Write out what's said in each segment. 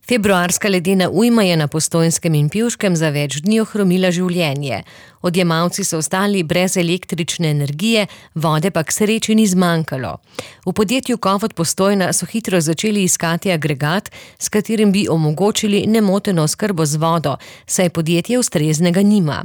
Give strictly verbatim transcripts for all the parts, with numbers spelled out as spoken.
Februarska ledena ujma je na Postojnskem in Pivškem za več dni ohromila življenje. Odjemalci so ostali brez električne energije, vode pa k sreči ni zmanjkalo. V podjetju Kovod Postojna so hitro začeli iskati agregat, s katerim bi omogočili nemoteno oskrbo z vodo, saj podjetje ustreznega nima.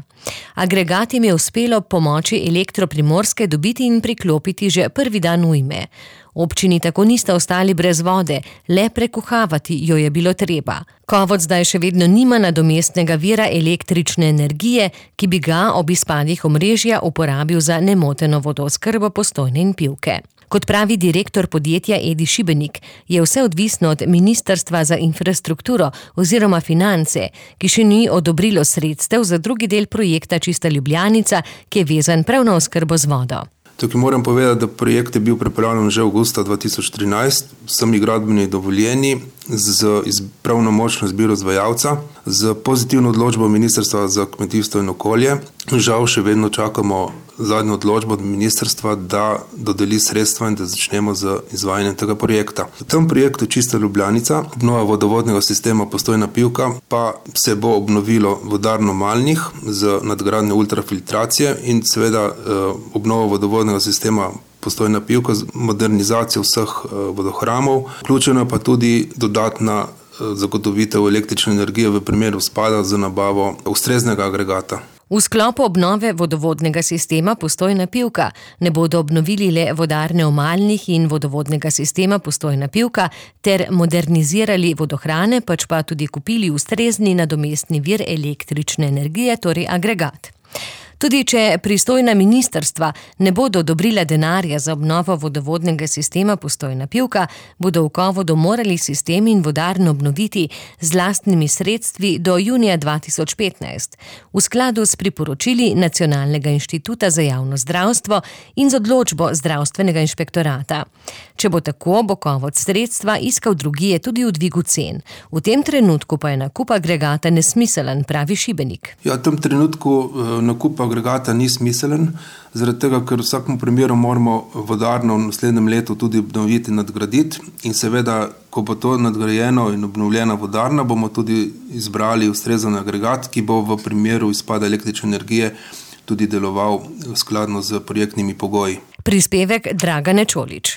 Agregat jim je uspelo pomoči Elektro Primorske dobiti in priklopiti že prvi dan ujme. Občini tako nista ostali brez vode, le prekuhavati jo je bilo treba. Kovod zdaj še vedno nima nadomestnega vira električne energije, ki bi ga ob izpadih omrežja uporabil za nemoteno vodooskrbo Postojne in Pivke. Kot pravi direktor podjetja Edi Šibenik, je vse odvisno od Ministrstva za infrastrukturo oziroma finance, ki še ni odobrilo sredstev za drugi del projekta Čista Ljubljanica, ki je vezan prav na oskrbo z vodo. Tukaj moram povedati, da projekt je bil pripravljen že avgusta dva tisoč trinajst, vsemi gradbeni dovoljeni, z pravnomočno izbiro izvajalca, z pozitivno odločbo Ministrstva za kmetijstvo in okolje. Žal še vedno čakamo zadnjo odločbo od ministrstva, da dodeli sredstva in da začnemo z izvajanjem tega projekta. V tem projektu Čista Ljubljanica, obnova vodovodnega sistema Postojna Pivka, pa se bo obnovilo vodarno Malnih z nadgradnjo ultrafiltracije in seveda obnova vodovodnega sistema Postojna Pivka z modernizacijo vseh vodohramov, vključena pa tudi dodatna zagotovitev električne energije v primeru spada z nabavo ustreznega agregata. V sklopu obnove vodovodnega sistema Postojna Pivka ne bodo obnovili le vodarne v Malnih in vodovodnega sistema Postojna Pivka ter modernizirali vodohrane, pač pa tudi kupili ustrezni nadomestni vir električne energije, torej agregat. Tudi če pristojna ministrstva ne bodo odobrila denarja za obnovo vodovodnega sistema Postojna Pivka, bodo v Kovodu morali sistem in vodarno obnoviti z lastnimi sredstvi do junija dva tisoč petnajst, v skladu s priporočili Nacionalnega inštituta za javno zdravstvo in z odločbo zdravstvenega inšpektorata. Če bo tako, bo Kovod sredstva iskal drugje tudi v dvigu cen. V tem trenutku pa je nakup agregata nesmiselen, pravi Šibenik. Ja, v tem trenutku nakup agregata ni smiselen, zaradi tega, ker v vsakem primeru moramo vodarno v naslednjem letu tudi obnoviti, nadgraditi in seveda, ko bo to nadgrajeno in obnovljena vodarna, bomo tudi izbrali ustrezen agregat, ki bo v primeru izpada električne energije tudi deloval skladno z projektnimi pogoji. Prispevek Dragane Čolič.